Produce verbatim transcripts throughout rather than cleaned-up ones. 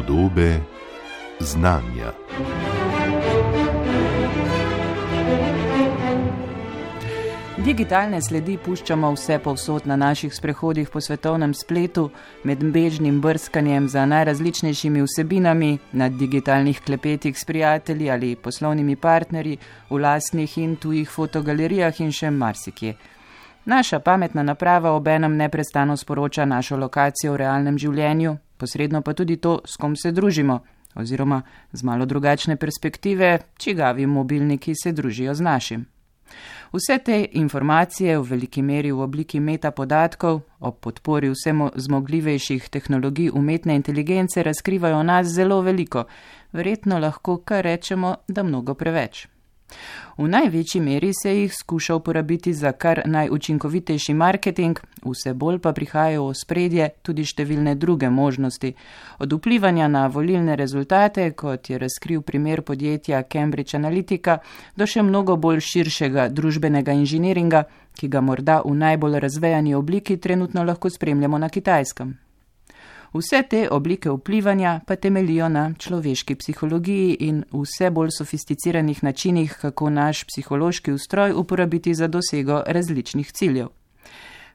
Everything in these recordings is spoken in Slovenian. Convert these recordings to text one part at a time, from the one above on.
Podobe znanja. Digitalne sledi puščamo vse povsod na naših sprehodih po svetovnem spletu, med bežnim brskanjem za najrazličnejšimi vsebinami, na digitalnih klepetih s prijatelji ali poslovnimi partnerji, v lastnih in tujih fotogalerijah in še marsikje. Naša pametna naprava obenem neprestano sporoča našo lokacijo v realnem življenju, posredno pa tudi to, s kom se družimo, oziroma z malo drugačne perspektive, čigavi mobilniki se družijo z našim. Vse te informacije v veliki meri v obliki metapodatkov ob podpori vsemo zmogljivejših tehnologij umetne inteligence razkrivajo o nas zelo veliko, verjetno lahko kar rečemo, da mnogo preveč. V največji meri se jih skuša uporabiti za kar najučinkovitejši marketing, vse bolj pa prihajajo v spredje tudi številne druge možnosti, od vplivanja na volilne rezultate, kot je razkril primer podjetja Cambridge Analytica, do še mnogo bolj širšega družbenega inženiringa, ki ga morda v najbolj razvejani obliki trenutno lahko spremljamo na Kitajskem. Vse te oblike vplivanja pa temeljijo na človeški psihologiji in vse bolj sofisticiranih načinih, kako naš psihološki ustroj uporabiti za dosego različnih ciljev.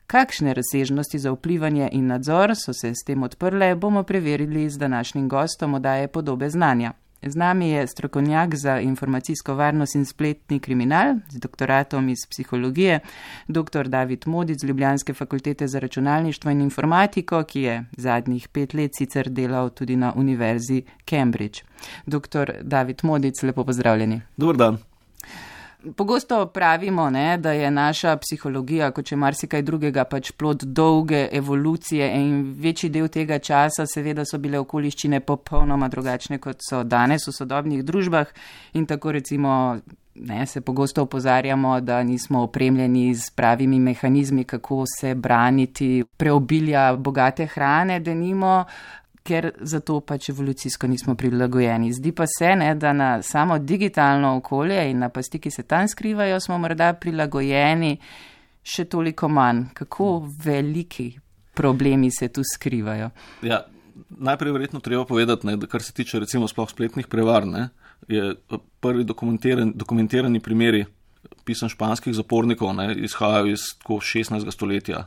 Kakšne razsežnosti za vplivanje in nadzor so se s tem odprle, bomo preverili z današnjim gostom oddaje Podobe znanja. Z nami je strokovnjak za informacijsko varnost in spletni kriminal z doktoratom iz psihologije, dr. David Modic z Ljubljanske fakultete za računalništvo in informatiko, ki je zadnjih pet let sicer delal tudi na Univerzi Cambridge. doktor David Modic, lepo pozdravljeni. Dober dan. Pogosto pravimo, ne, da je naša psihologija, kot če marsikaj drugega, pač plod dolge evolucije in večji del tega časa seveda so bile okoliščine popolnoma drugačne, kot so danes v sodobnih družbah in tako recimo ne, se pogosto opozarjamo, da nismo opremljeni z pravimi mehanizmi, kako se braniti preobilja bogate hrane, denimo, ker zato pač evolucijsko nismo prilagojeni. Zdi pa se, ne, da na samo digitalno okolje in na pasti, ki se tam skrivajo, smo morda prilagojeni še toliko manj. Kako veliki problemi se tu skrivajo? Ja, najprej verjetno treba povedati, ne, da kar se tiče recimo sploh spletnih prevar, ne, je prvi dokumentiran, dokumentirani primeri pisem španskih zapornikov, ne, izhajajo iz tako šestnajstega stoletja.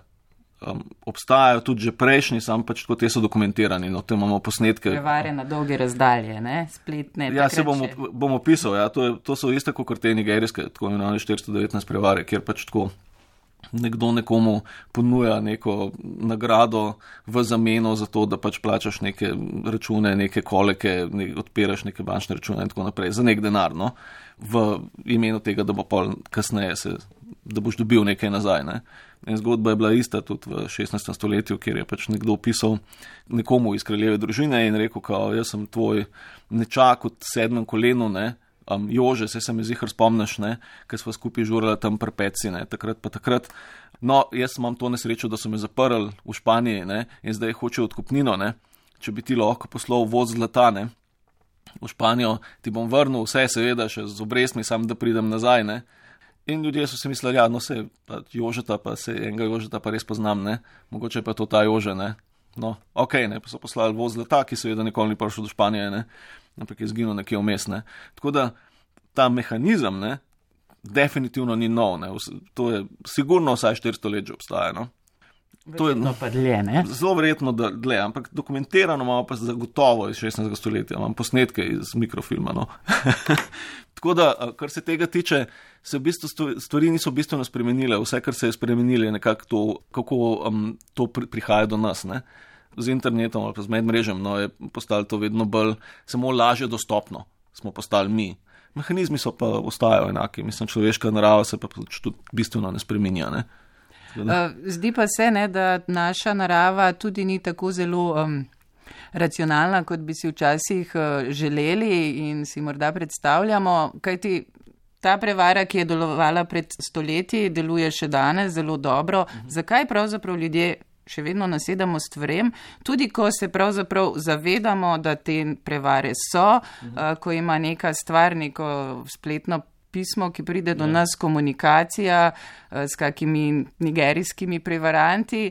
Um, obstajajo tudi že prejšnji, sam pač tako te so dokumentirani, no, te imamo posnetke. Prevare na dolge razdalje, ne, spletne. Ja, se bom, bom opisal, ja, to, je, to so iste kot te nigerijske, tako imenovane štiristo devetnajst prevare, kjer pač tako nekdo nekomu ponuja neko nagrado v zameno za to, da pač plačaš neke račune, neke koleke, ne, odpiraš neke bančne račune in tako naprej, za nek denar, no, v imenu tega, da bo pol kasneje se, da boš dobil nekaj nazaj, ne. In zgodba je bila ista tudi v šestnajstem stoletju, kjer je pač nekdo pisal nekomu iz kraljeve družine in rekel, kao, jaz sem tvoj nečak v sedmem kolenu, ne, um, Jože, se se mi zihar spomniš, ne, ker sva skupaj žurala tam pri Peci, ne, takrat pa takrat. No, jaz imam to nesrečo, da so me zaprli v Španiji, ne, in zdaj hočejo odkupnino, ne, če bi ti lahko poslal voz zlata, ne, v Španijo, ti bom vrnil vse, seveda, še z obrestmi, sam da pridem nazaj, ne. In ljudje so si mislili, ja, no se, pa Jožeta, pa se enega Jožeta pa res poznam, ne, mogoče pa je to ta Jože, ne, no, okej, okay, ne, pa so poslali voz zlata, ki seveda nikoli ni prišel do Španije, ne, ampak je zginil nekje vmes, ne, tako da ta mehanizem, ne, definitivno ni nov, ne, to je sigurno vsaj štiristo let že obstaja, no. To je no, pa dlje, ne? Zelo verjetno, da dlje, ampak dokumentirano imamo pa zagotovo iz šestnajstega stoletja, imam posnetke iz mikrofilma, no. Tako da, kar se tega tiče, se v bistvu stvari niso bistveno spremenile, vse, kar se je spremenilo, je nekako to, kako um, to pri, prihaja do nas, ne. Z internetom ali pa z medmrežjem, no, je postalo to vedno bolj, samo lažje dostopno smo postali mi. Mehanizmi so pa ostajajo enaki, mislim, človeška narava se pa tudi bistveno ne spreminja, ne. Zdi pa se, ne, da naša narava tudi ni tako zelo um, racionalna, kot bi si včasih uh, želeli in si morda predstavljamo, kajti ta prevara, ki je delovala pred stoletji, deluje še danes zelo dobro. Uh-huh. Zakaj pravzaprav ljudje še vedno nasedamo stvarem, tudi ko se pravzaprav zavedamo, da te prevare so, uh-huh. uh, ko ima neka stvar neko spletno pismo, ki pride do nas, komunikacija s kakimi nigerijskimi prevaranti.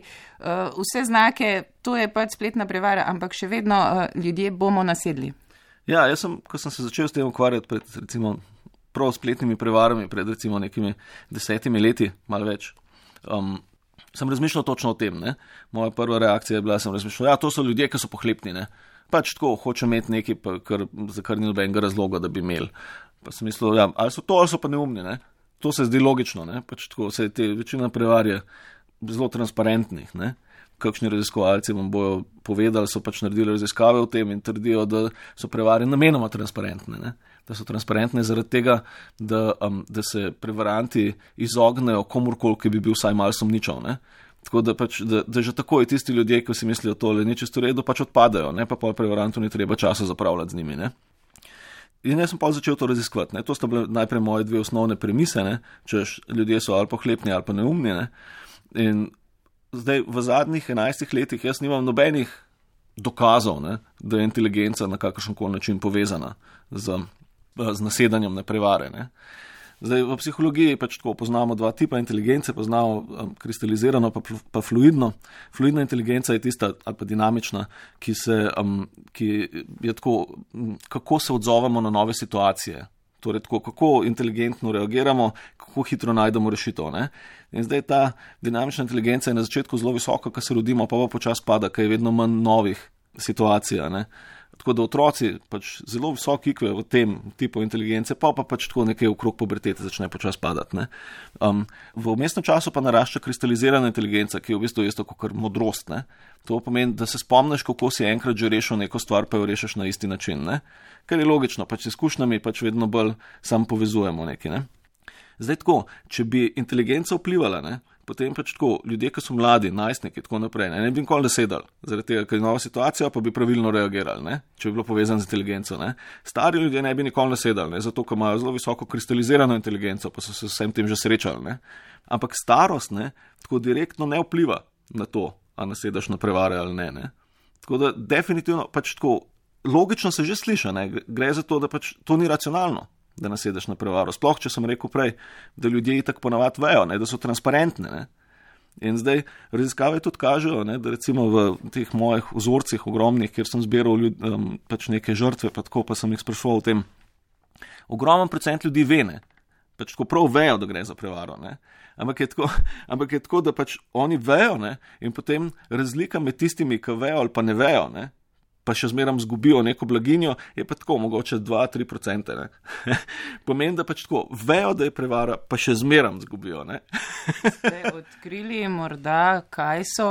Vse znake, to je pač spletna prevara, ampak še vedno ljudje bomo nasedli. Ja, jaz sem, ko sem se začel s tem ukvarjati pred recimo prav spletnimi prevarami, pred recimo nekimi desetimi leti, malo več, um, sem razmišljal točno o tem. Ne? Moja prva reakcija je bila, sem razmišljal, ja, to so ljudje, ki so pohlepni, ne? Pač tako, hoče imeti nekaj, pa, kar, za kar ni nobenega razloga, da bi imeli. Pa sem mislil, ja, ali so to, ali so pa neumni, ne? To se zdi logično, ne? Pač tako, se te večina prevar je zelo transparentnih, ne? Kakšni raziskovalci vam bojo povedali, so pač naredili raziskave o tem in trdijo, da so prevare namenoma transparentne, ne? Da so transparentne zaradi tega, da, um, da se prevaranti izognejo komurkoli, ki bi bil vsaj malo sumničav, ne? Tako da, pač, da, da že takoj tisti ljudje, ki si mislijo tole, ni čisto redo, pač odpadajo, ne? Pa pol prevarantu ni treba časa zapravljati z njimi, ne? In jaz sem pa začel to raziskovati, ne? To sta bile najprej moje dve osnovne premise, ne? Češ, ljudje so ali pohlepni ali pa neumni, ne? In zdaj v zadnjih enajstih letih jaz nimam nobenih dokazov, ne, da je inteligenca na kakršenkoli način povezana z, z nasedanjem na prevare. Ne. Zdaj v psihologiji pač tako poznamo dva tipa inteligence, poznamo um, kristalizirano pa, pa fluidno. Fluidna inteligenca je tista ali pa dinamična, ki se, um, ki je tako, kako se odzovemo na nove situacije. Torej, tako, kako inteligentno reagiramo, kako hitro najdemo rešitev. Ne? In zdaj ta dinamična inteligenca je na začetku zelo visoka, ko se rodimo, pa pa počas pada, ker je vedno manj novih situacij. Ne? Tako da otroci pač zelo visok I Q v tem tipu inteligence, pa pa pač tako nekaj okrog pubertete začne počas padati. Ne? Um, v vmesnem času pa narašča kristalizirana inteligenca, ki je v bistvu isto kot modrost. Ne? To pomeni, da se spomniš, kako si enkrat že rešil neko stvar, pa jo rešiš na isti način. Ne? Ker je logično, pač s izkušnjami pač vedno bolj sam povezujemo nekaj. Ne? Zdaj tako, če bi inteligenca vplivala, ne? Potem pač tako, ljudje, ki so mladi, najstniki, tako naprej, ne, ne bi nikoli nasedali, zaradi tega, ker je nova situacija, pa bi pravilno reagirali, ne, če bi bilo povezano z inteligenco. Ne. Stari ljudje ne bi nikoli nasedali, ne, zato, ker imajo zelo visoko kristalizirano inteligenco, pa so se vsem tem že srečali. Ne. Ampak starost, ne, tako direktno ne vpliva na to, a nasedaš na prevare ali ne. Ne. Tako da definitivno, pač tako, logično se že sliša, ne, gre za to, da pač to ni racionalno, da nasedeš na prevaro. Sploh, če sem rekel prej, da ljudje itak ponavadi vejo, ne, da so transparentne. Ne. In zdaj raziskave tudi kažejo, ne, da recimo v teh mojih vzorcih ogromnih, kjer sem zbiral ljud, um, pač neke žrtve, pa tako pa sem jih sprašoval o tem, ogromen procent ljudi ve, ne, pač tako prav vejo, da gre za prevaro. Ne. Ampak je tako, ampak je tako, da pač oni vejo, ne, in potem razlika med tistimi, ki vejo ali pa ne vejo, ne, pa še zmeram zgubijo neko blaginjo, je pa tako, mogoče dva do tri procente. Pomeni, da pač tako, vejo, da je prevara, pa še zmeram zgubijo. Ne? Ste odkrili morda, kaj so,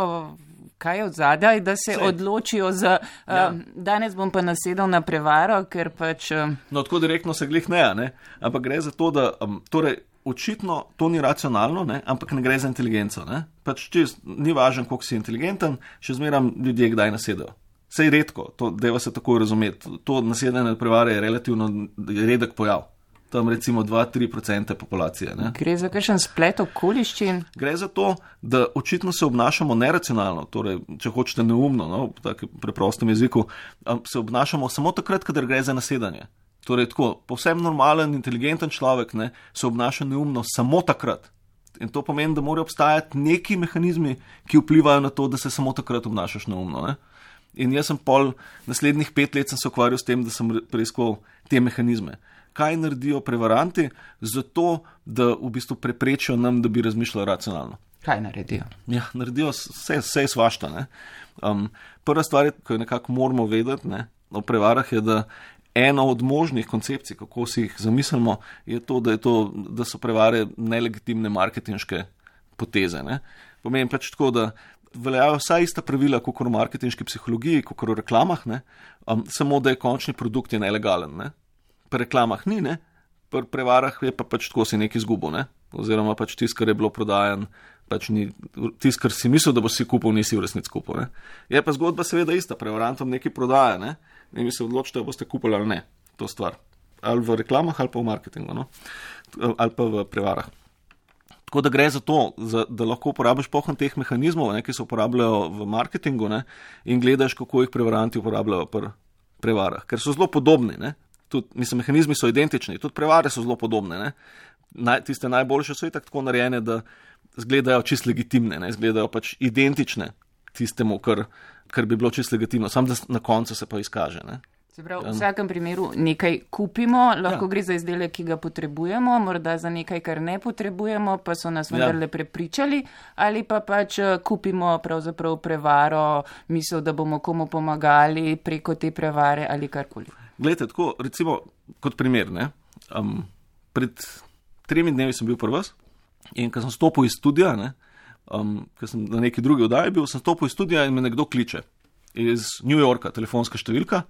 kaj je odzadaj, da se Sej. odločijo za, ja. um, danes bom pa nasedal na prevaro, ker pač... Um... No, tako direktno se glih ne, ne, ampak gre za to, da, um, torej, očitno to ni racionalno, ne, ampak ne gre za inteligenco. Ne? Pač čist, ni važno, koliko si inteligenten, še zmeram ljudje kdaj nasedajo. Sej redko, to deva se tako razumeti. To nasedanje na prevare je relativno redek pojav. Tam recimo dva do tri procente populacije. Ne? Gre za kakšen splet okoliščin? Gre za to, da očitno se obnašamo neracionalno, torej, če hočete neumno, no, v takem preprostem jeziku, se obnašamo samo takrat, kadar gre za nasedanje. Torej, tako, povsem normalen, inteligenten človek, ne, se obnaša neumno samo takrat. In to pomeni, da morajo obstajati neki mehanizmi, ki vplivajo na to, da se samo takrat obnašaš neumno. Ne? In jaz sem pol naslednjih pet let sem se ukvarjal s tem, da sem preiskal te mehanizme. Kaj naredijo prevaranti zato, da v bistvu preprečijo nam, da bi razmišljali racionalno? Kaj naredijo? Ja, naredijo vse, vse svašta. Ne? Um, prva stvar, ki jo nekako moramo vedeti, ne, o prevarah je, da ena od možnih koncepcij, kako si jih zamislimo, je to, da, je to, da so prevare nelegitimne marketinške poteze. Ne? Pomeni pač tako, da veljajo vsa ista pravila, kot v marketinški psihologiji, kot v reklamah, ne? Um, samo da je končni produkt je nelegalen. Ne? Pri reklamah ni, ne? Pri prevarah je pa pač tako si nekaj izgubil, ne? Oziroma pač tisto, kar je bilo prodajan, pač ni, tisto, kar si mislil, da bo si kupil, nisi v resnici kupil. Ne? Je pa zgodba seveda ista, prevarantom nekaj prodaja, ne? In vi se odločite, da boste kupili ali ne, to stvar. Ali v reklamah, ali pa v marketingu, no? Ali pa v prevarah. Tako da gre za to, za, da lahko uporabiš pohod teh mehanizmov, ne, ki se uporabljajo v marketingu, ne, in gledaš, kako jih prevaranti uporabljajo pri prevarah, ker so zelo podobni. Ne. Tud, mislim, mehanizmi so identični, tudi prevare so zelo podobne. Ne? Naj, tiste najboljše so itak tako narejene, da izgledajo čist legitimne, ne? Izgledajo pač identične tistemu, kar, kar bi bilo čist legitimno, samo da na koncu se pa izkaže. Ne? Se pravi, v vsakem primeru nekaj kupimo, lahko ja. gre za izdelek, ki ga potrebujemo, morda za nekaj, kar ne potrebujemo, pa so nas vendarle ja. prepričali, ali pa pač kupimo pravzaprav prevaro, misel, da bomo komu pomagali preko te prevare ali karkoli. Glejte, tako, recimo, kot primer, ne, um, pred tremi dnevi sem bil pri vas in ko sem stopil iz studia, ne, um, ko sem na neki drugi oddaji bil, sem stopil iz studia in me nekdo kliče iz New Yorka, telefonska številka.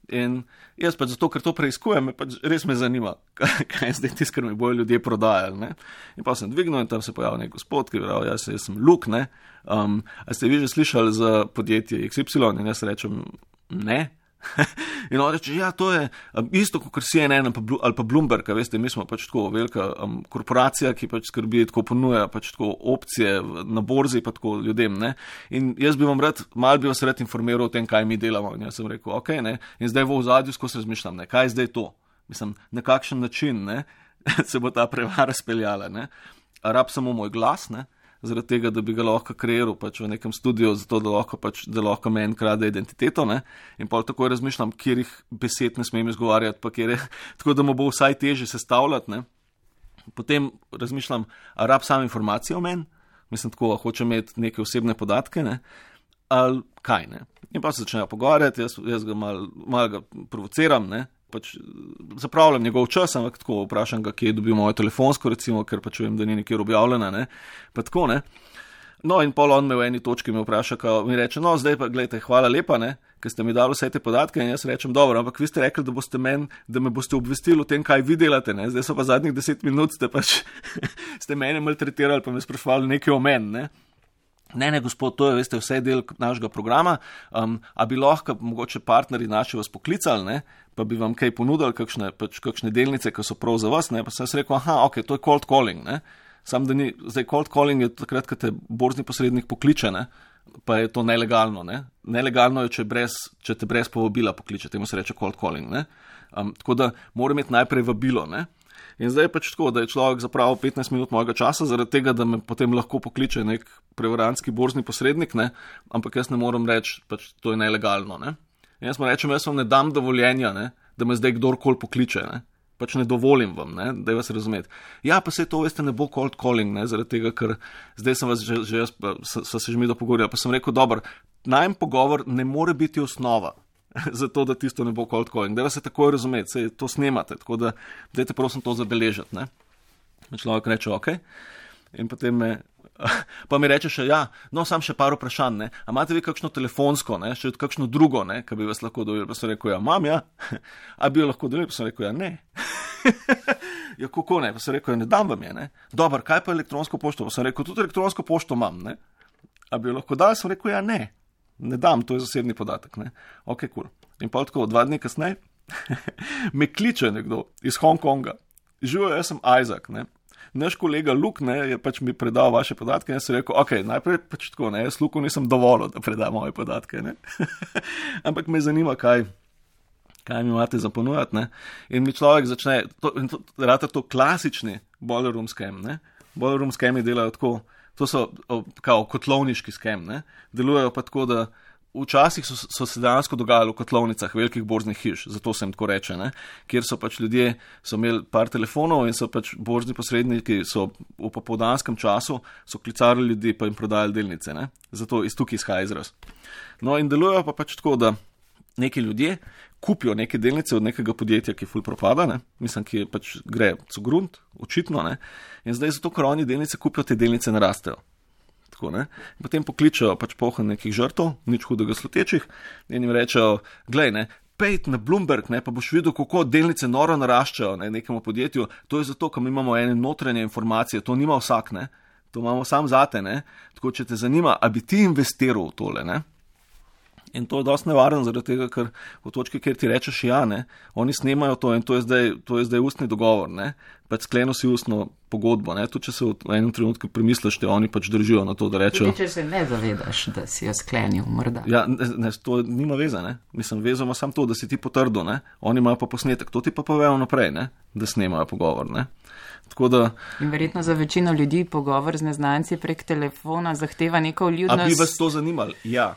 In jaz pač zato, ker to preiskujem, pač res me zanima, kaj je zdaj tisto, kar mi bojo ljudje prodajali. Ne? In pa sem dvignil in tam se pojavil nek gospod, ki je rekel, jaz, jaz sem Luke, ne. Um, a ste vi že slišali za podjetje X Y? In jaz rečem, ne. In on reče, ja, to je um, isto kot C N N ali pa Bloomberg, veste, mi smo pač tako velika um, korporacija, ki pač skrbi, tako ponuja pač tako opcije na borzi pa tako ljudem, ne. In jaz bi vam rad, mal bi vas rad informiral o tem, kaj mi delamo. In jaz sem rekel, ok, ne. In zdaj v ozadju skozi razmišljam, ne, kaj je zdaj to? Mislim, na kakšen način, ne, se bo ta prevara speljala, ne. A rab samo moj glas, ne. Zaradi tega, da bi ga lahko kreiral pač v nekem studiu, zato da lahko, pač, da lahko meni krade identiteto, ne, in pa takoj razmišljam, kjerih besed ne smem izgovarjati, pa kjer je, tako da mu bo vsaj težje sestavljati, ne. Potem razmišljam, a rab sam informacije o meni, mislim tako, a hoče imeti neke osebne podatke, ne, ali kaj, ne. In pa se začnejo pogovarjati, jaz, jaz ga malo mal ga provociram, ne, pač zapravljam njegov čas, ampak tako vprašam ga, kje je dobil mojo telefonsko, recimo, ker pač vem, da ni nikjer objavljena, ne, pa tako, ne. No, in pol on me v eni točki me vpraša, kao, mi reče, no, zdaj pa, gledajte, hvala lepa, ne, ker ste mi dali vse te podatke, in jaz rečem, dobro, ampak vi ste rekli, da boste men, da me boste obvestili o tem, kaj vi delate, ne, zdaj so pa zadnjih deset minut, ste pač, ste mene maltretirali, pa me sprašvali nekaj o meni, ne. Ne, ne, gospod, to je, veste, vse del našega programa, um, a bi lahko mogoče partnerji naši vas poklicali, ne, pa bi vam kaj ponudili, kakšne, pač, kakšne delnice, ki so prav za vas, ne, pa sem se rekel, aha, ok, to je cold calling, ne, sam da ni, zdaj cold calling je takrat, ko te borzni posrednik pokliče, ne, pa je to nelegalno, ne, nelegalno je, če, brez, če te brez povabila pokliče, temu se reče cold calling, ne, um, tako da mora imeti najprej vabilo, ne. In zdaj je pač tako, da je človek zapravil petnajst minut mojega časa, zaradi tega, da me potem lahko pokliče nek prevarantski borzni posrednik, ne, ampak jaz ne morem reči, pač to je nelegalno, ne. In jaz mu rečem, jaz vam ne dam dovoljenja, ne, da me zdaj kdorkoli pokliče, ne, pač ne dovolim vam, ne, da je vas razumeti. Ja, pa se to, veste, ne bo cold calling, ne, zaradi tega, ker zdaj sem vas že, že jaz, so, so se že mi dopogovorili, pa sem rekel, dober, najm pogovor ne more biti osnova, zato, da tisto ne bo cold calling. Dajva se takoj razumeti, se to snemate, tako da dajte prosim to zabeležiti, ne. Človek reče, ok, in potem me, pa mi reče še, ja, no, sam še par vprašanj, ne, a imate vi kakšno telefonsko, ne, še kakšno drugo, ne, ki bi vas lahko dojeli, pa sem rekel, ja, imam, ja, a bi jo lahko dojeli, pa sem rekel, ja, ne. Ja, kako ne, pa sem rekel, ja, ne dam vam je, ne. Dobar, kaj pa elektronsko pošto, pa sem rekel, tudi elektronsko pošto imam, ne, a bi jo lahko dal, sem rekel, ja, ne. Ne dam, to je zasebni podatek, ne. Ok, cool. In pa tako, dva dni kasneje, me kliče nekdo iz Hongkonga. Živijo, jaz sem Isaac, ne. Naš kolega Luke, ne, je pač mi predal vaše podatke in jaz sem rekel, ok, najprej pač tako, ne, jaz Luku nisem dovolil, da preda moje podatke, ne. Ampak me zanima, kaj, kaj mi imate za ponujati, ne. In mi človek začne, to, in to, rata to klasični boiler room scam, ne. Boiler room scami delajo tako, to so kao kotlovniški skem, ne, delujejo pa tako, da včasih so, so se dejansko dogajali v kotlovnicah velikih borznih hiš, zato se jim tako reče, ne, kjer so pač ljudje, so imeli par telefonov in so pač borzni posredniki, so v popoldanskem času, so klicali ljudi pa jim prodajali delnice, ne, zato iz tukaj izhaja izraz. No in delujejo pa pač tako, da neki ljudje kupijo neke delnice od nekega podjetja, ki ful propada, ne, mislim, ki je pač gre co grunt, očitno, ne, in zdaj zato, ker oni delnice kupijo, te delnice narastejo. Tako, ne, in potem pokličejo pač pohod nekih žrtov, nič hudega slutečih, in jim rečejo, glej, ne, pejt na Bloomberg, ne, pa boš videl, kako delnice noro naraščajo, ne, nekemu podjetju, to je zato, ker mi imamo ene notranje informacije, to nima vsak, ne, to imamo sam zate, ne, tako, če te zanima, a bi ti investiral v tole, ne. In to je dosti nevarno, zaradi tega, ker v točki, kjer ti rečeš ja, ne, oni snemajo to in to je zdaj, to je zdaj ustni dogovor, ne, pač skleno si ustno pogodbo, ne, tudi če se v enem trenutku premisliš, te oni pač držijo na to, da rečejo. Tudi če se ne zavedaš, da si jo sklenil, morda. Ja, ne, ne, to nima veze, ne, mislim, vezo ima samo to, da si ti potrdil, ne, oni imajo pa posnetek, to ti pa povejo naprej, ne, da snemajo pogovor, ne. Tako da, in verjetno za večino ljudi pogovor z neznanci prek telefona zahteva neko vljudnost. A bi vas to zanimalo? Ja.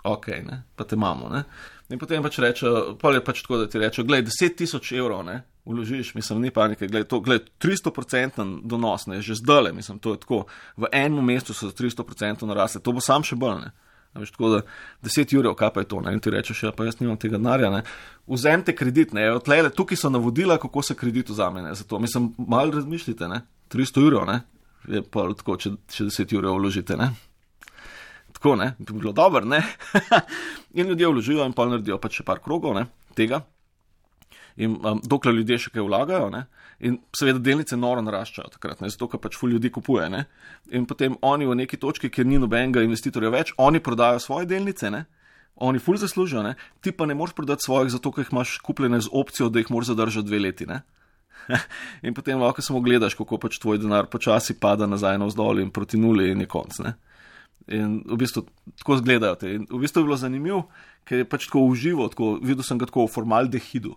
Ok, ne, pa te imamo, ne. In potem pač rečejo, pa je pač tako, da ti rečejo, glej, deset tisoč evrov, ne, vložiš, mislim, ni panike, glej, to, glej, tristo procentov donos, ne, že zdale, mislim, to je tako, v enem mestu so tristo procentov narasle, to bo sam še bolj, ne. Veš, tako da deset jurjev, kaj pa je to, ne, in ti rečeš, ja, pa jaz nimam tega denarja, ne, vzemite kredit, ne, odtlele, tukaj so navodila, kako se kredit vzame, ne, zato, mislim, malo razmišljite, ne, tristo jurjev, ne, je pa tako, če, če deset jurjev vložite, ne. Tako, ne, bi bilo dobro, ne, in ljudje vložijo in pa naredijo pač še par krogov, ne, tega, in um, dokler ljudje še kaj vlagajo, ne, in seveda delnice noro naraščajo takrat, ne, zato, ker pač ful ljudi kupuje, ne, in potem oni v neki točki, kjer ni nobenega investitorja več, oni prodajo svoje delnice, ne, oni ful zaslužijo, ne, ti pa ne moreš prodati svojih, zato, ker jih imaš kupljene z opcijo, da jih moraš zadržati dve leti, ne. In potem lahko samo gledaš, kako pač tvoj denar počasi pada nazaj navzdol in proti nuli in je konc, ne. In v bistvu tako zgledajo te. In v bistvu je bilo zanimivo, ker je pač tako uživo, tako, videl sem ga tako v formaldehidu.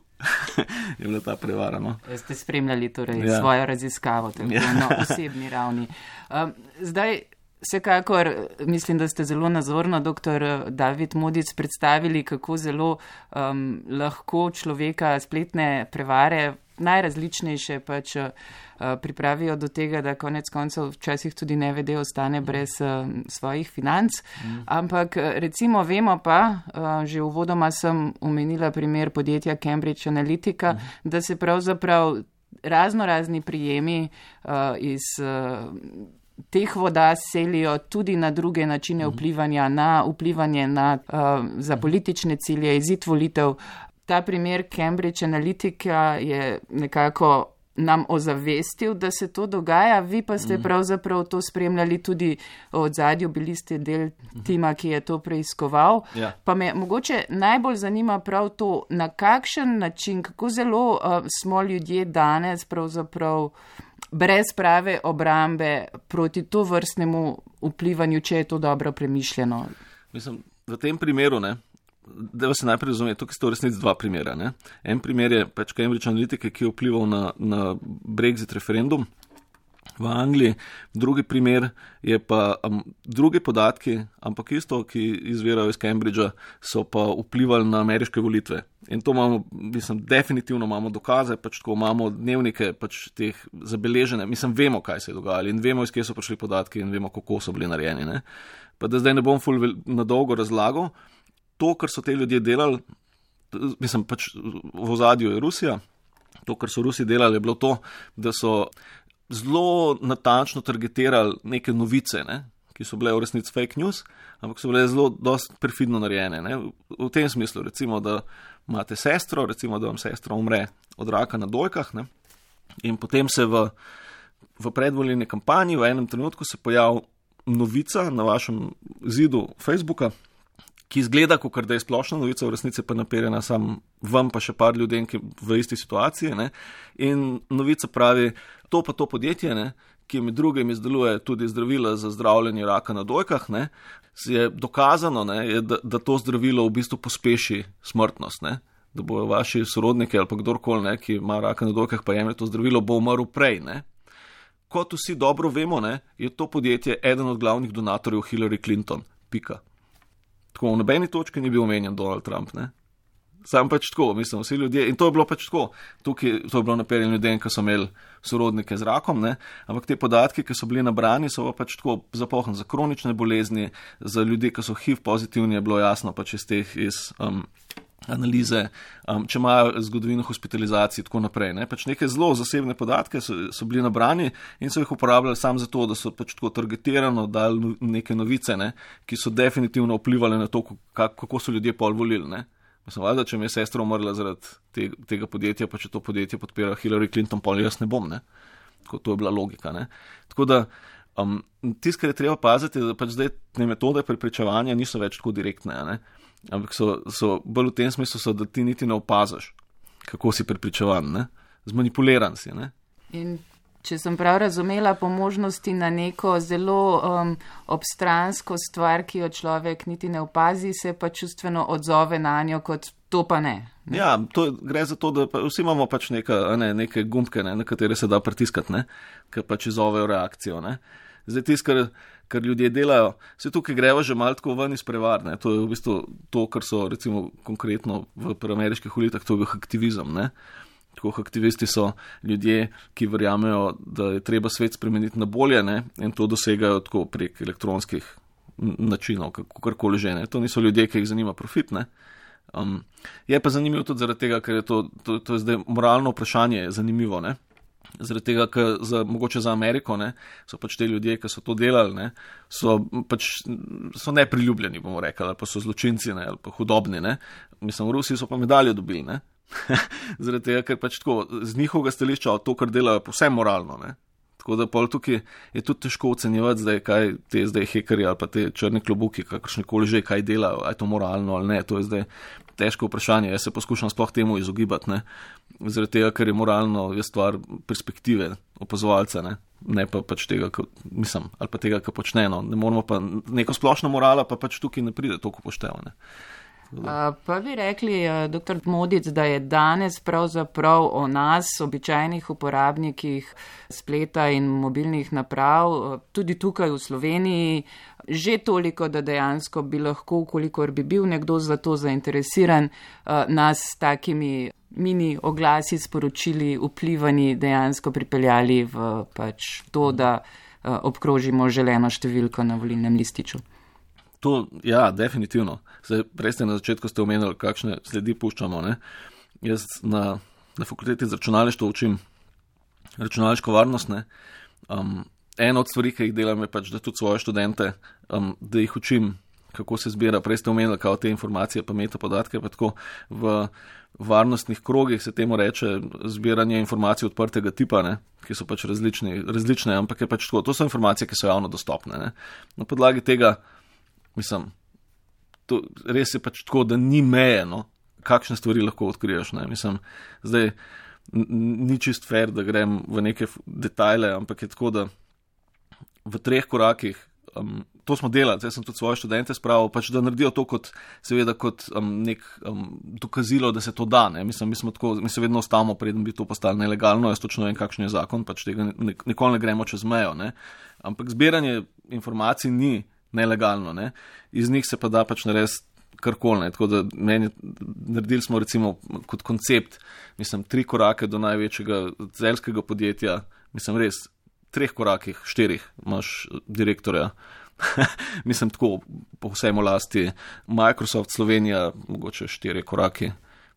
Je bila ta prevara, no. Ste spremljali torej ja. svojo raziskavo, tako ja. na osebni ravni. Um, zdaj, vsekakor, mislim, da ste zelo nazorno, doktor David Modic, predstavili, kako zelo um, lahko človeka spletne prevare najrazličnejše pač uh, pripravijo do tega, da konec koncev včasih tudi nevede ostane brez uh, svojih financ. Mm. Ampak recimo vemo pa, uh, že uvodoma sem omenila primer podjetja Cambridge Analytica, mm. da se pravzaprav razno razni prijemi uh, iz uh, teh voda selijo tudi na druge načine mm. vplivanja, na vplivanje na, uh, za politične cilje, izid volitev. Ta primer Cambridge Analytica je nekako nam ozavestil, da se to dogaja, vi pa ste mm. pravzaprav to spremljali tudi od zadju, bili ste del tima, ki je to preiskoval. Ja. Pa me mogoče najbolj zanima prav to, na kakšen način, kako zelo uh, smo ljudje danes pravzaprav brez prave obrambe proti to vrstnemu vplivanju, če je to dobro premišljeno. Mislim, v tem primeru, ne, da se najprej razume, tukaj sta v resnici dva primera. Ne. En primer je pač Cambridge Analytica, ki je vplival na, na Brexit referendum v Angliji. Drugi primer je pa um, drugi podatki, ampak isto, ki izvirajo iz Cambridgea, so pa vplivali na ameriške volitve. In to imamo, mislim, definitivno imamo dokaze, pač tako imamo dnevnike pač teh zabeležene, mislim, vemo, kaj se je dogajalo in vemo, iz kje so prišli podatki in vemo, kako so bili narejeni. Ne. Pa da zdaj ne bom ful na dolgo razlagal, to, kar so te ljudje delali, mislim, pač v ozadju je Rusija, to, kar so Rusi delali, je bilo to, da so zelo natančno targetirali neke novice, ne, ki so bile v resnici fake news, ampak so bile zelo dosti perfidno narejene. Ne. V tem smislu, recimo, da imate sestro, recimo, da vam sestra umre od raka na dojkah, ne, in potem se v, v predvolilni kampanji v enem trenutku se pojavi novica na vašem zidu Facebooka, ki izgleda, kot da je splošna novica, v resnici pa naperjena sam vam pa še par ljudem, ki v isti situaciji. Ne? In novica pravi, to pa to podjetje, ne, ki med drugim izdeluje tudi zdravila za zdravljenje raka na dojkah, ne, je dokazano, ne, je, da, da to zdravilo v bistvu pospeši smrtnost, ne? Da bojo vaši sorodniki ali pa kdorkoli, ne, ki ima raka na dojkah, pa jemlje to zdravilo, bo umrl prej. Ne? Kot vsi dobro vemo, ne, je to podjetje eden od glavnih donatorjev Hillary Clinton. Pika. Tako, v nobeni točki ni bil omenjen Donald Trump, ne. Sam pač tako, mislim, vsi ljudje, in to je bilo pač tako, tukaj to je bilo naperjeno ljudem, ki so imeli sorodnike z rakom, ne, ampak te podatki, ki so bili nabrani, so pač tako zapohni za kronične bolezni, za ljudi, ki so H I V pozitivni, je bilo jasno pač iz teh, iz um, analize, um, če imajo zgodovino hospitalizacij in tako naprej. Ne. Pač neke zelo zasebne podatke so, so bili nabrani in so jih uporabljali samo zato, da so pač tako targetirano dali neke novice, ne, ki so definitivno vplivali na to, kako so ljudje pol volili. Ne. Mislim, valjda, če mi je sestra umrla zaradi te, tega podjetja, pa če to podjetje podpira Hillary Clinton, pol jaz ne bom. Ne. Tako, to je bila logika. Ne. Tako da um, tisto, kar je treba paziti, da pač zdaj te metode preprečevanja niso več tako direktne. Ne. ampak so, so bolj v tem smislu, so, da ti niti ne opaziš, kako si prepričevan, ne? Zmanipuliran si. Ne? In če sem prav razumela, po možnosti na neko zelo um, obstransko stvar, ki jo človek niti ne opazi, se pa čustveno odzove na njo, kot to pa ne. ne? Ja, to gre za to, da pa vsi imamo pač neka, ne, neke gumbke, ne, na katere se da pritiskati, ne, ki pač izovejo reakcijo. Ne. Zdaj tis, kar, kar ljudje delajo, se tukaj greva že malo tako ven iz prevar, ne. To je v bistvu to, kar so recimo konkretno v ameriških ulitah, to je aktivizem, ne. Tako aktivisti so ljudje, ki verjamejo, da je treba svet spremeniti na bolje, ne, in to dosegajo tako prek elektronskih načinov, kakorkoli že, ne. To niso ljudje, ki jih zanima profit, ne. Um, je pa zanimivo tudi zaradi tega, ker je to, to, to je zdaj moralno vprašanje zanimivo, ne. Zaradi tega, ker za, mogoče za Ameriko, ne, so pač te ljudje, ki so to delali, ne, so pač so nepriljubljeni, bomo rekli, ali pa so zločinci, ne, ali pa hudobni, ne. Mislim, v Rusiji so pa medaljo dobili, ne. Zaradi tega, ker pač tako z njihovega stališča to, kar delajo, povsem moralno, ne. Tako da pol tukaj je tudi težko ocenjevati zdaj, kaj te zdaj hekerji ali pa te črne klobuki, kakršnekoli že, kaj delajo, a je to moralno ali ne, to je zdaj težko vprašanje. Jaz se poskušam sploh temu izogibati, ne. Zaradi tega, ker je moralno je stvar perspektive opazovalca, ne. Ne pa pač tega, ka, mislim, ali pa tega, kar počne, no. Ne moramo pa neko splošno morala, pa pač tukaj ne pride toliko poštevane. Uh, pa bi rekli, uh, doktor Modic, da je danes pravzaprav o nas, običajnih uporabnikih spleta in mobilnih naprav, uh, tudi tukaj v Sloveniji, že toliko, da dejansko bi lahko, kolikor bi bil nekdo za to zainteresiran, uh, nas s takimi mini oglasi, sporočili, vplivani dejansko pripeljali v pač to, da uh, obkrožimo želeno številko na volilnem lističu. To, ja, definitivno. Zdaj, prej ste na začetku ste omenili, kakšne sledi puščamo. Ne? Jaz na, na fakulteti za računalništvo učim računalniško varnost. Ne? Um, ena od stvari, ki jih delam, je pač, da tudi svoje študente, um, da jih učim, kako se zbira. Prej ste omenili, kao te informacije, pa metapodatke, pa tako v varnostnih krogih se temu reče zbiranje informacij odprtega tipa, ne? Ki so pač različni, različne, ampak je pač tako. To so informacije, ki so javno dostopne. Ne? Na podlagi tega mislim, to res je pač tako, da ni meje, no, kakšne stvari lahko odkriješ, ne, mislim, zdaj ni čist fair, da grem v neke detajle, ampak je tako, da v treh korakih, um, to smo delali, jaz sem tudi svoje študente spravil, pač da naredijo to kot, seveda kot um, nek um, dokazilo, da se to da, ne, mislim, mi smo tako, mi se vedno ostavimo, preden bi to postalo nelegalno, jaz točno vem, kakšen je zakon, pač tega ne, nikoli ne gremo čez mejo, ne, ampak zbiranje informacij ni nelegalno, ne. Iz njih se pa da pač narediti karkoli, ne. Tako da meni, naredili smo recimo kot koncept, mislim, tri korake do največjega zeljskega podjetja, mislim, res, treh korakih, štirih imaš direktorja, mislim, tako, po vsem v lasti, Microsoft Slovenija, mogoče štiri koraki.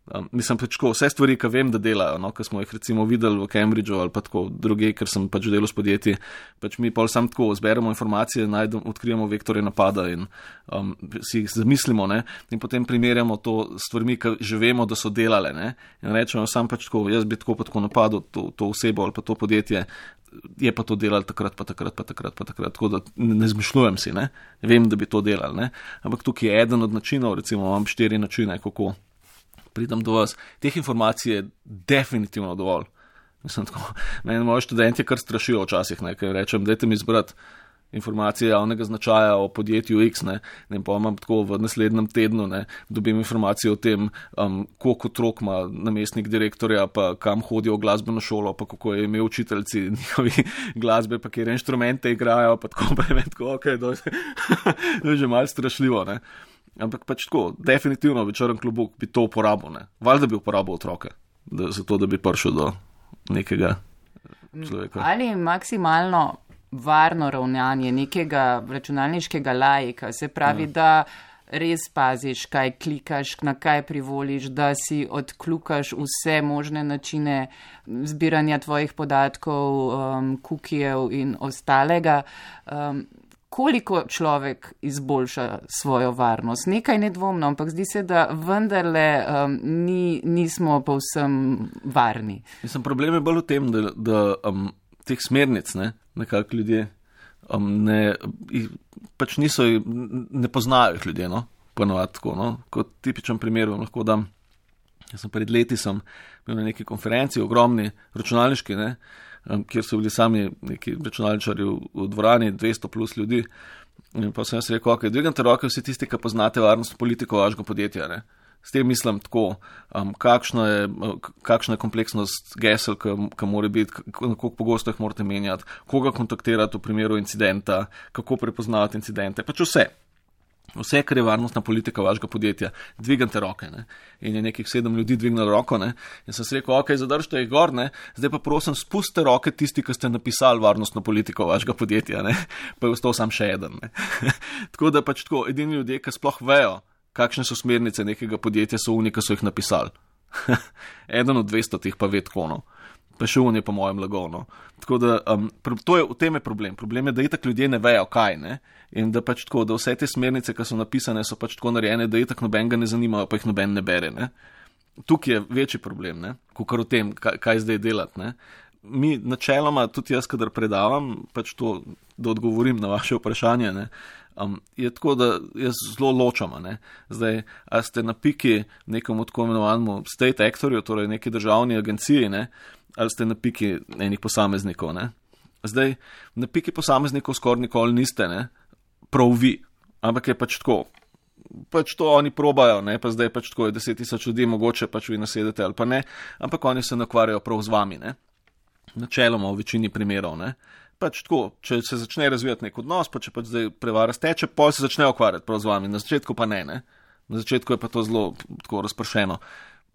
Um, mislim pač tako, vse stvari, ki vem, da delajo, no, ki smo jih recimo videli v Cambridgeu ali pa tako druge, ker sem pač delal s podjetji, pač mi pa sam tako zberemo informacije, najdem, odkrijemo vektore napada in um, si jih zamislimo, ne, in potem primerjamo to s stvarmi, ki že vemo, da so delale, ne, in rečemo sam pač tako, jaz bi tako pa tako napadel to, to osebo ali pa to podjetje, je pa to delal takrat, pa takrat, pa takrat, pa takrat, tako da ne, ne zmišljujem si, ne, vem, da bi to delal, ne, ampak tukaj je eden od načinov, recimo imam štiri načine, kako pridem do vas. Teh informacij je definitivno dovolj. Mislim, tako, meni moji študenti kar strašijo včasih, ne, ker rečem, dajte mi zbrati informacije javnega značaja o podjetju X, ne, ne pa imam tako v naslednjem tednu, ne, dobim informacije o tem, um, koliko otrok ima namestnik direktorja, pa kam hodijo v glasbeno šolo, pa kako je imel učiteljci njihovi glasbe, pa kjer inštrumente igrajo, pa tako, pa je tako, ok, to je že malo strašljivo, ne. Ampak pač tako, definitivno bi črn klobuk bi to uporabil, ne. Valjda bi uporabil otroke, da, zato da bi prišel do nekega človeka. Ali maksimalno varno ravnanje nekega računalniškega laika, se pravi, ja. Da res paziš, kaj klikaš, na kaj privoliš, da si odkljukaš vse možne načine zbiranja tvojih podatkov, um, kukijev in ostalega. Um, Koliko človek izboljša svojo varnost? Nekaj nedvomno, ampak zdi se, da vendarle um, ni, nismo povsem varni. Mislim, problem je bolj v tem, da, da um, teh smernic, ne, nekako ljudje um, ne, pač niso, ne poznajo jih ljudje, no. ponovati tako, no. Kot tipičen primer vam lahko dam. Jaz sem pred leti sem bil na neki konferenci, ogromni računalniški, ne, kjer so bili sami neki računalničarji v, v dvorani, dvesto plus ljudi. In pa sem jaz rekel, ok, dvignite roke vsi tisti, ki poznate varnostno politiko vašega podjetja. Ne. S tem mislim tako, um, kakšna, je, kakšna je kompleksnost gesel, ki mora biti, kako pogosto jih morate menjati, koga kontaktirati v primeru incidenta, kako prepoznavati incidente, pač vse. Vse, kar je varnostna politika vašega podjetja, dvignite roke. Ne. In je nekih sedem ljudi dvignilo roko, ne. In sem se rekel, ok, zadržite jih gor, ne. Zdaj pa prosim, spustite roke tisti, ki ste napisali varnostno politiko vašega podjetja, ne. Pa je ostal sam še eden. Ne. Tako da pač tako, edini ljudje, ki sploh vejo, kakšne so smernice nekega podjetja, so oni, ki so jih napisali. Eden od dvesto tih pa ve tako, no. Pa še on je po mojem lagovno. Tako da, um, to je, v tem je problem. Problem je, da itak ljudje ne vejo, kaj, ne. In da pač tako, da vse te smernice, ki so napisane, so pač tako narejene, da itak noben ga ne zanimajo, pa jih noben ne bere, ne. Tukaj je večji problem, ne, kakor o tem, kaj, kaj zdaj delati, ne. Mi načeloma, tudi jaz, kadar predavam, pač to, da odgovorim na vaše vprašanje, ne, um, je tako, da jaz zelo ločam, ne. Zdaj, a ste na piki nekomu tako imenovanemu state actorju, torej neki državni agenciji, ne, ali ste na piki enih posameznikov, ne. Zdaj, na piki posameznikov skoraj nikoli niste, ne, prav vi, ampak je pač tako, pač to oni probajo, ne, pa zdaj pač tako je deset tisoč ljudi, mogoče pač vi nasedete ali pa ne, ampak oni se nakvarjajo prav z vami, ne, načeloma v večini primerov, ne, pač tako, če se začne razvijati nek odnos, pa če pač zdaj prevara steče, pa se začne ukvarjati prav z vami, na začetku pa ne, ne, na začetku je pa to zelo tako razpršeno.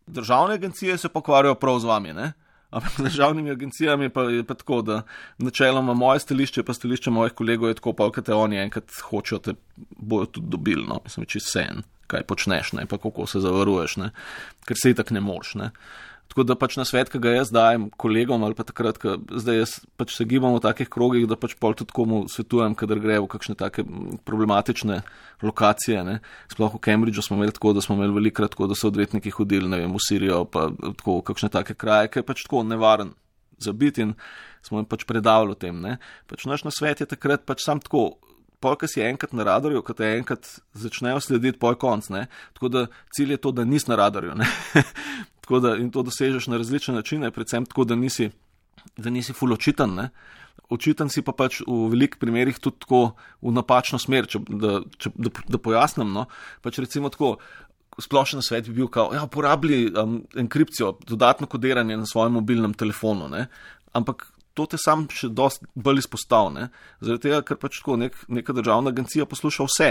Državne agencije se pokvarjajo prav z vami, ne. Ampak z državnimi agencijami pa je pa tako, da načeloma moje stališče pa stališče mojih kolegov je tako, pa kaj te oni enkrat hočejo, te bojo tudi dobili, no, mislim, čisto vseeno, kaj počneš, ne, pa kako se zavaruješ, ne, ker se itak ne moš, ne. Tako da pač na svet, ki ga jaz dajem kolegom ali pa takrat, ko zdaj jaz pač se gibam v takih krogih, da pač pol tudi komu svetujem, kadar gre v kakšne take problematične lokacije, ne. Sploh v Cambridgeu smo imeli tako, da smo imeli velikrat tako, da so odvetniki hodili, ne vem, v Sirijo, pa tako v kakšne take kraje, ki je pač tako nevaren za biti in smo jim pač predavali o tem, ne. Pač naš na svet je takrat pač sam tako, pol, ko si enkrat na radarju, ko te enkrat začnejo slediti, pol konc, ne. Tako da cilj je to, da nisi na radarju, ne. Tako da in to dosežeš na različne načine, predvsem tako, da nisi, da nisi ful očiten, ne. Očiten si pa pač v velikih primerih tudi tako v napačno smer, če, da, če, da, da pojasnim, no. Pač recimo tako, splošen svet bi bil kao, ja, uporabili um, enkripcijo, dodatno kodiranje na svojem mobilnem telefonu, ne. Ampak to te sam še dosti bolj izpostav, ne. Zaradi tega, ker pač tako nek, neka državna agencija posluša vse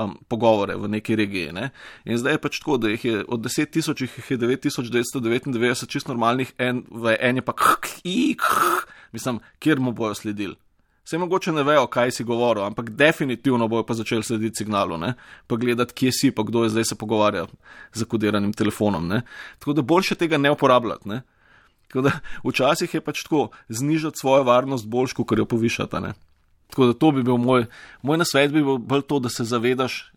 um, pogovore v neki regiji, ne. In zdaj je pač tako, da jih je od deset tisoč, jih je devet tisoč devetsto devetindevetdeset čist normalnih, en, v en je pa kh, kh, mislim, kjer mu bojo sledili. Vse mogoče ne vejo, kaj si govoril, ampak definitivno bojo pa začeli slediti signalu, ne, pa gledati, kje si, pa kdo je zdaj se pogovarja z zakodiranim telefonom, ne. Tako da boljše tega ne uporabljati, ne. Tako da včasih je pač tako znižati svojo varnost boljš, kot jo povišata, ne. Tako da to bi bil moj, moj nasvet bi bil bolj to, da se zavedaš,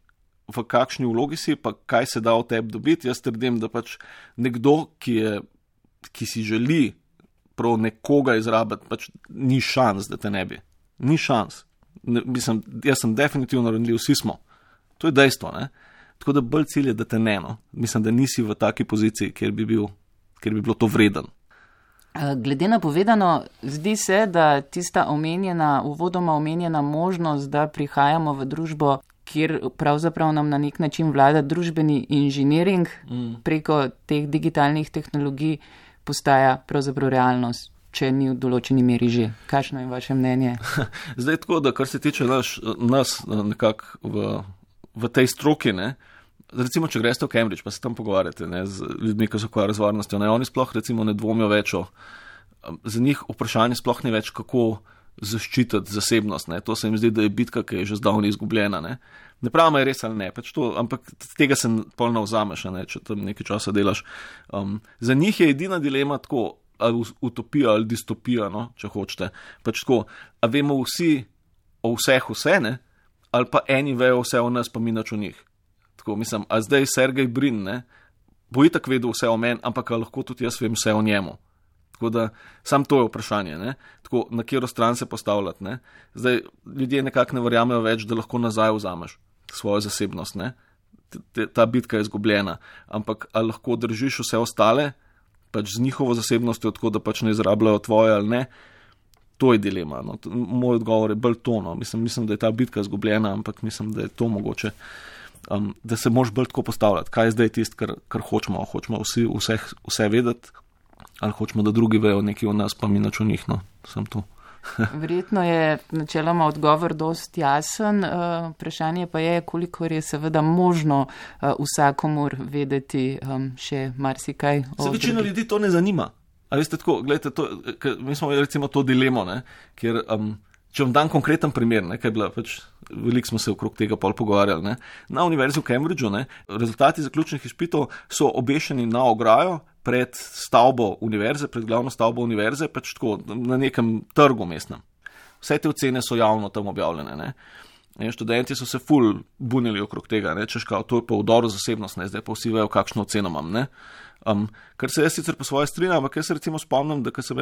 v kakšni vlogi si, pa kaj se da v tebi dobiti. Jaz trdim, da pač nekdo, ki je, ki si želi prav nekoga izrabiti, pač ni šans, da te ne bi. Ni šans. Ne, mislim, jaz sem definitivno ranljiv, vsi smo. To je dejstvo, ne. Tako da bolj cilj je, da te ne, no. Mislim, da nisi v taki poziciji, kjer bi bil, kjer bi bilo to vreden. Glede na povedano, zdi se, da tista omenjena, uvodoma omenjena možnost, da prihajamo v družbo, kjer pravzaprav nam na nek način vlada družbeni inženiring mm. preko teh digitalnih tehnologij, postaja pravzaprav realnost, če ni v določeni meri že. Kakšno je vaše mnenje? Zdaj tako, da kar se tiče naš, nas nekako v, v tej stroki, ne, recimo, če greste v Cambridge, pa se tam pogovarjate, ne, z ljudmi, ki se ukvarjajo z varnostjo, ne, oni sploh recimo ne dvomijo več o, za njih vprašanje sploh ni več, kako zaščititi zasebnost, ne, to se jim zdi, da je bitka, ki je že zdavni izgubljena, ne. Ne pravim, je res ali ne, pač to, ampak tega se polno vzameš, ne, če tam nekaj časa delaš. Um, za njih je edina dilema tako, ali utopija ali distopija, no, če hočete. Pač tako, a vemo vsi o vseh vse, ne, ali pa eni vejo vse o nas, pa mi nič o njih. Tako, mislim, a zdaj Sergej Brin, ne, bo itak vedel vse o meni, ampak lahko tudi jaz vem vse o njemu. Tako da, sam to je vprašanje, ne, tako, na katero stran se postavljati, ne. Zdaj, ljudje nekako ne verjamejo več, da lahko nazaj vzameš svojo zasebnost, ne. te, ta bitka je izgubljena. Ampak ali lahko držiš vse ostale, pač z njihovo zasebnostjo, tako da pač ne izrabljajo tvoje ali ne, to je dilema. No. Moj odgovor je bolj to. No. Mislim, mislim, da je ta bitka izgubljena, ampak mislim, da je to mogoče, um, da se moraš bolj tako postavljati. Kaj je zdaj tisto, kar, kar hočemo? Hočemo vsi vse, vse vedeti, ali hočemo, da drugi vejo nekaj o nas, pa mi nič o njih. No. Sem tu. Verjetno je načeloma odgovor dosti jasen. Vprašanje pa je, koliko je seveda možno vsakomur vedeti še marsikaj. Se večina ljudi to ne zanima. A veste tako, gledajte, to, mi smo recimo to dilemo, ne, kjer, um, če vam dam konkreten primer, ne, kaj je bila, pač, veliko smo se okrog tega pol pogovarjali, ne, na univerzi v Cambridgeu, ne, rezultati zaključnih izpitov so obešeni na ograjo pred stavbo univerze, pred glavno stavbo univerze, pač tako, na nekem trgu mestnem. Vse te ocene so javno tam objavljene, ne. In študenti so se ful bunili okrog tega, ne, češ kao, to je pa vdor v zasebnost, ne, zdaj pa vsi vejo, kakšno oceno imam, ne. Um, kar se jaz sicer po svoje strinjam, ampak jaz se recimo spomnim, da ko sem,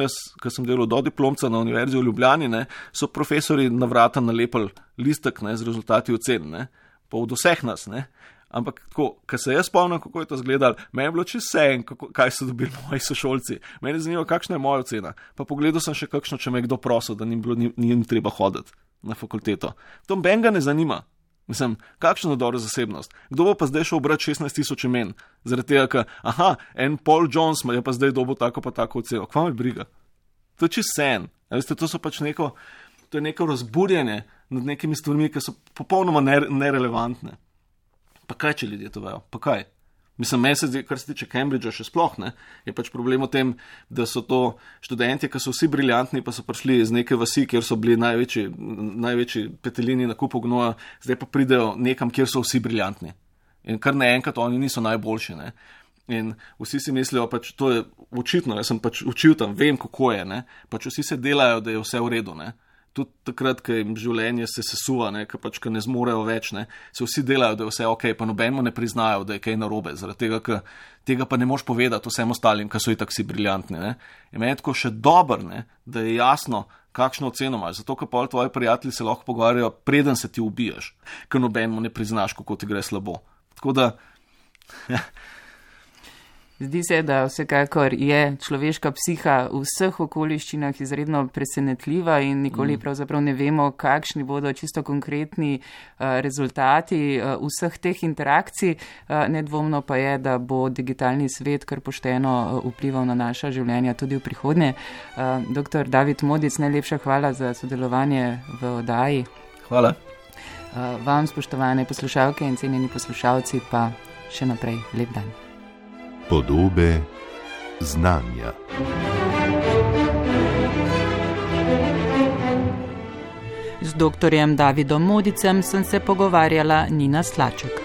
sem delal do diplomca na univerzi v Ljubljani, ne, so profesori na vrata nalepili listek, ne, z rezultati ocen, ne, pa od vseh nas, ne. Ampak tako, ko se jaz spomnim, kako je to izgledalo, meni je bilo čisto vseeno, kaj so dobili moji sošolci. Meni je zanimivo, kakšna je moja ocena. Pa pogledal sem še kakšno, če me je kdo prosil, da ni bilo ni, ni treba hoditi na fakulteto. To mbenga ne zanima. Mislim, kakšno dobro zasebnost. Kdo bo pa zdaj šel obrati šestnajst tisoč imen? Zaradi tega, ker, aha, en Paul Jones je pa zdaj dobil tako pa tako oceno. Kva me briga? To je čisto sen. Veste, to so pač neko, to je neko razburjenje nad nekimi stvarmi, ki so popolnoma nerelevantne. Pa kaj, če ljudje to vejo? Pa kaj? Mislim, meni se zdi, kar se tiče Cambridgea še sploh, ne, je pač problem v tem, da so to študenti, ki so vsi briljantni, pa so prišli iz neke vasi, kjer so bili največji, največji petelini na kupu gnoja, zdaj pa pridejo nekam, kjer so vsi briljantni. In kar naenkrat oni niso najboljši, ne. In vsi si mislijo, pač to je očitno, jaz sem pač učil tam, vem, kako je, ne, pač vsi se delajo, da je vse v redu, ne. Tudi takrat, ko jim življenje se sesuva, ne, ko pač, ko ne zmorejo več, ne, se vsi delajo, da je vse ok, pa nobenemu ne priznajo, da je kaj narobe, zaradi tega, ker tega pa ne moš povedati vsem ostalim, ki so itak si briljantni, ne. In meni je tako še dobro, ne, da je jasno, kakšno oceno imaš, zato, ker pol tvoji prijatelji se lahko pogovarjajo, preden se ti ubijaš, ker nobenemu ne priznaš, kako ti gre slabo. Tako da... Zdi se, da vsekakor je človeška psiha v vseh okoliščinah izredno presenetljiva in nikoli pravzaprav ne vemo, kakšni bodo čisto konkretni uh, rezultati uh, vseh teh interakcij. Uh, nedvomno pa je, da bo digitalni svet kar pošteno uh, vplival na naša življenja tudi v prihodnje. Uh, doktor David Modic, najlepša hvala za sodelovanje v oddaji. Hvala. Uh, vam, spoštovane poslušalke in cenjeni poslušalci, pa še naprej lep dan. Podobe znanja. Z doktorjem Davidom Modicem sem se pogovarjala Nina Slaček.